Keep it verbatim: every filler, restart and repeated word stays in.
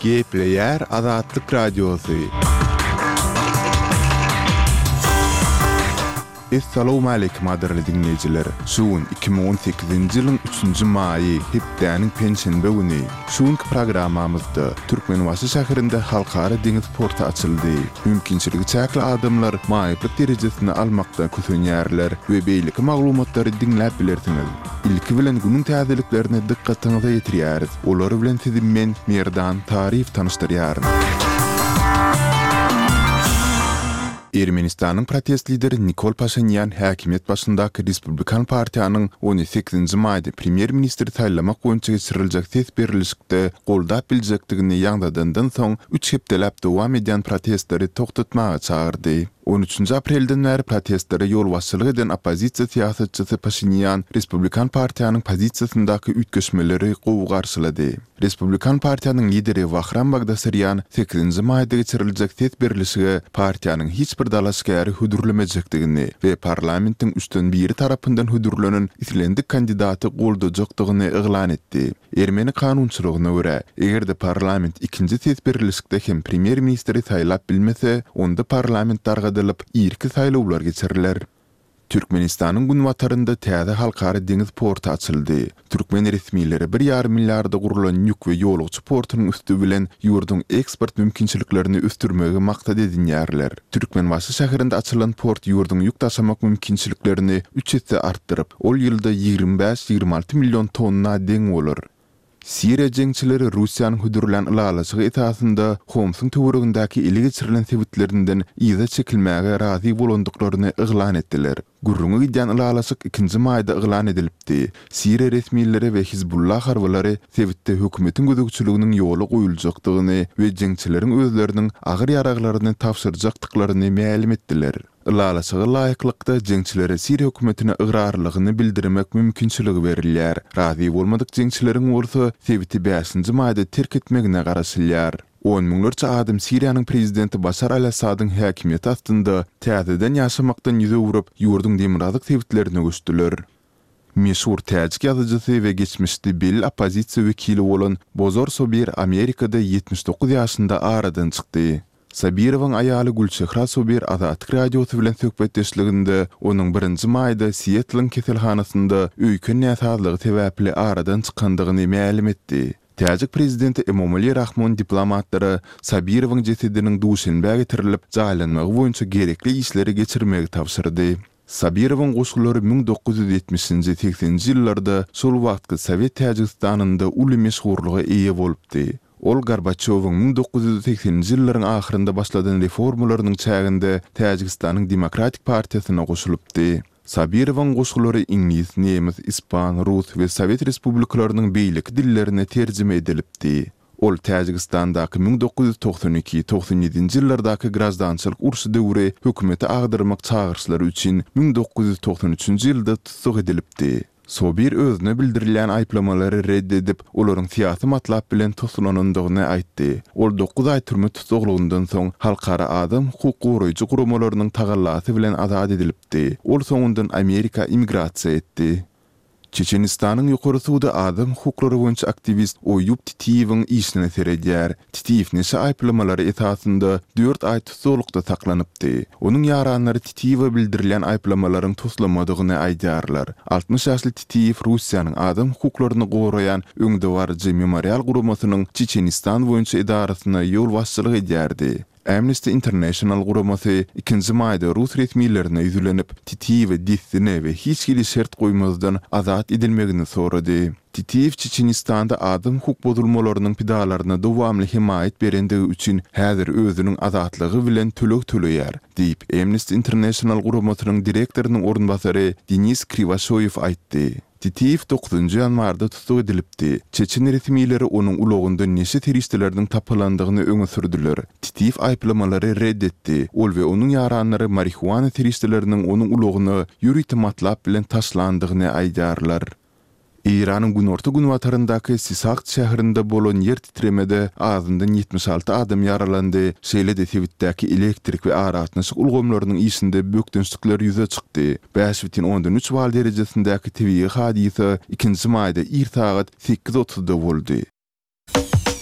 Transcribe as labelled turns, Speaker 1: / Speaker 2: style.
Speaker 1: Gepleýär Azatlyk Radiosy. Essalawmaleýkim gadyrly diňleýjiler! Şu gün iki müň on sekizinji ýylyň üçünji maýy, hepdäniň penşenbe güni. Şu günki programmamyzda Türkmenbaşy şäherinde Halkara deňiz porty açyldy. Mümkinçiligi çäkli adamlar maýyplyk derejesini almakdan kösenýärler we beýleki maglumatlary diňläp bilersiňiz. Ilki bilen günüň täzeliklerini dykgatyňyza ýetirýäris. Olar bilen sizi men, Merdan Taryýew tanyşdyrýaryn. Ermenistanyň protest lideri Nikol Paşinýan häkimiýet başyndaky Respublikan partiýanyň ony sekizinji maýda premýer-ministri saýlamak boýunça geçiriljek ses berlişikde goldap biljekdigini ýaňzydandan soň üç hepdeläp dowam edýän protestleri togtatmaga çagyrdy. On üçünji aprelden bäri protestlere ýolbaşçylyk eden oppozisiýa syýasatçysy Paşinýan Respublikan partiýanyň pozisiýasyndaky üýtgeşmeleri gowy garşylady. Respublikan partiýanyň lideri Wahram Bagdasarýan sekizinji maýda geçiriljek ses berlişige partiýanyň hiç bir dalaşgäri hödürlemejekdigini we parlamentiň üçden biri tarapyndan hödürlenen islendik kandidaty goldajakdygyny yglan etdi. Ermeni kanunçylygyna görä, eger-de parlament ikinji ses berlişikde hem premýer-ministri saýlap bilmese, onda parlament dargadylyp, irki saýlawlar geçiriler. Türkmenistanyň günbatarynda täze halkara deňiz porty açyldy. Türkmen resmileri bir ýarym milliarda gurlan ýük we ýolagçy portunyň üsti bilen ýurduň eksport mümkinçiliklerini ösdürmegi maksat edinýärler. Türkmenbaşy şäherinde açylan port ýurduň ýük daşamak mümkinçiliklerini üç esse artdyryp, ol ýylda ýigrimi bäş-ýigrimi alty million tonna deň bolar. Siriýa jeňçileri Russiýanyň hödürlän ylalaşygy esasynda Homsyň töweregindäki ele geçirilen sebitlerinden yza çekilmäge razy bolandyklaryny yglan etdiler. Gürrüňi gidýän ylalaşyk ikinji maýda yglan edilipdi. Siriýa resmileri we Hizbullah harbylary sebitde hökümetiň gözegçiliginiň ýola goýuljakdygyny we jeňçileriň özleriniň agyr ýaraglaryny tabşyrjakdyklaryny mälim etdiler. Ylalaşyga laýyklykda, jeňçilere siriýa hökümetine ygrarlylygyny bildirmek mümkinçiligi berilýär. Razy bolmadyk jeňçileriň bolsa sebiti bäşinji maýda terk etmegine garaşylýar. On müňlerçe adam Siriýanyň prezidenti Başar al-Assadyň häkimiýeti astynda täzeden ýaşamakdan ýüz öwrüp, ýurduň demirgazyk sebitlerine göçdüler. Meşhur täjik ýazyjysy we geçmişde belli oppozisiýa wekili bolan Bozor Sobir Amerikada ýetmiş dokuz ýaşynda aradan çykdy. Sabirowyň aýaly Gülçehra Sobir Azatlyk Radiosy bilen söhbetdeşliginde onuň birinji maýda Sietliň keselhanasynda öýken näsazlygy sebäpli aradan çykandygyny mälim etdi. Täjik prezidenti Emomali Rahmon diplomatlara Sabirowyň jesediniň Duşenbä getirilip, jaýlanmagy boýunça gerekli işleri geçirmegi tabşyrdy. Sabirowyň goşgulary müň dokuz ýüz ýetmişinji, segseninji ýyllarda şol wagtky Sowet Täjigistanynda uly meşhurlyga eýe bolupdy. Ol Gorbaçýowyň müň dokuz ýüz segseninji ýyllaryň ahyrynda başladan reformalarynyň çäginde Täjigistanyň Demokratik partiýasyna goşulypdy. Sabirowyň goşgulary iňlis, nemes, ispan, rus we sowet respublikalarynyň beýleki dillerine terjime edilipdi. Ol Täjigistandaky müň dokuz ýüz togsan iki, togsan ýedinji ýyllardaky graždançylyk urşy döwri hökümeti agdarmak çagyryşlary üçin müň dokuz ýüz togsan üçünji ýylda tussag edilipdi. Sobir özüne bildirilýän aýyplamalary red edip, olaryň syýasy matlap bilen toslanandygyny aýtdy. Ol dokuz aý türme tussaglygyndan soň halkara adam hukuk goraýjy guramalarynyň tagallasy bilen azat edilipdi. Ol soňundan Amerika immigrasiýa etdi. Çeçenistanyň Ýokary sudy adam hukuklary boýunça aktiwist Oýub Titiýewiň işine seredýär. Titiýew neşe aýyplamalary esasynda dört aý tussaglykda saklanypdy. Onuň ýaranlary Titiýewe bildirilýän aýyplamalaryň toslamadygyny aýdýarlar. Altmyş ýaşly Titiýew Russiýanyň adam hukuklaryny goraýan öňdebaryjy Memorial guramasynyň Çeçenistan boýunça edarasyna ýolbaşçylyk edýärdi. Amnesty International guramasy ikinji maýda rus resmilerine ýüzlenip, Titiýewe dessine we hiç hili şert goýmazdan azat edilmegini sorady. Titiýew Çeçenistanda adam hukuk bozulmalarynyň pidalaryna dowamly hemaýat berendigi üçin häzir özüniň azatlygy bilen töleg töleýär, diýip, Amnesty International guramasynyň direktorynyň orunbasary Denis Kriwaşoýew aýtdy. Titiýew dokuzynjy ýanwarda tussag edilipdi. Çeçen resmileri onuň ulagynda neşe serişdeleriniň tapylandygyny öňe sürdüler. Titiýew aýyplamalary red etdi. Ol we onuň ýaranlary marihuana serişdeleriniň onuň ulagyna ýörite matlap bilen taşlandygyny aýdýarlar. Eýranyň günorta-günbataryndaky Sisakt şäherinde bolan ýer titremede azyndan ýetmiş alty adam ýaralandy, şeýle-de sebitdäki elektrik we aragatnaşyk ulgamlarynyň işinde bökdençlikler ýüze çykdy. Bäş bütin ondan üç bal derejesindäki tebigy hadysa ikinji maýda ir sagat sekiz otuzda boldy.